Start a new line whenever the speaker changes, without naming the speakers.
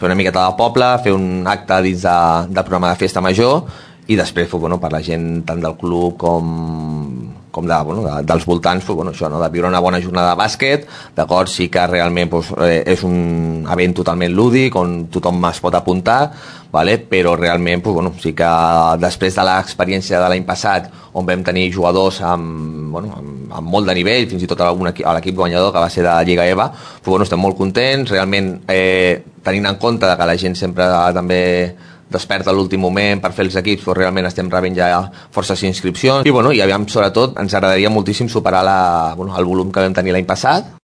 fer una miqueta de poble, fer un acte dins del programa de festa major i després per la gent tant del club com dels voltants, això, de viure una bona jornada de bàsquet, d'acord, sí que realment és un event totalment lúdic on tothom es pot apuntar, però realment sí que després de l'experiència de l'any passat on vam tenir jugadors amb molt de nivell, fins i tot l'equip guanyador que va ser de la Lliga EVA, estem molt contents, realment tenint en compte que la gent sempre també desperta a l'últim moment per fer els equips, realment estem rebent ja forces inscripcions i aviam, sobretot ens agradaria moltíssim superar el volum que vam tenir l'any passat.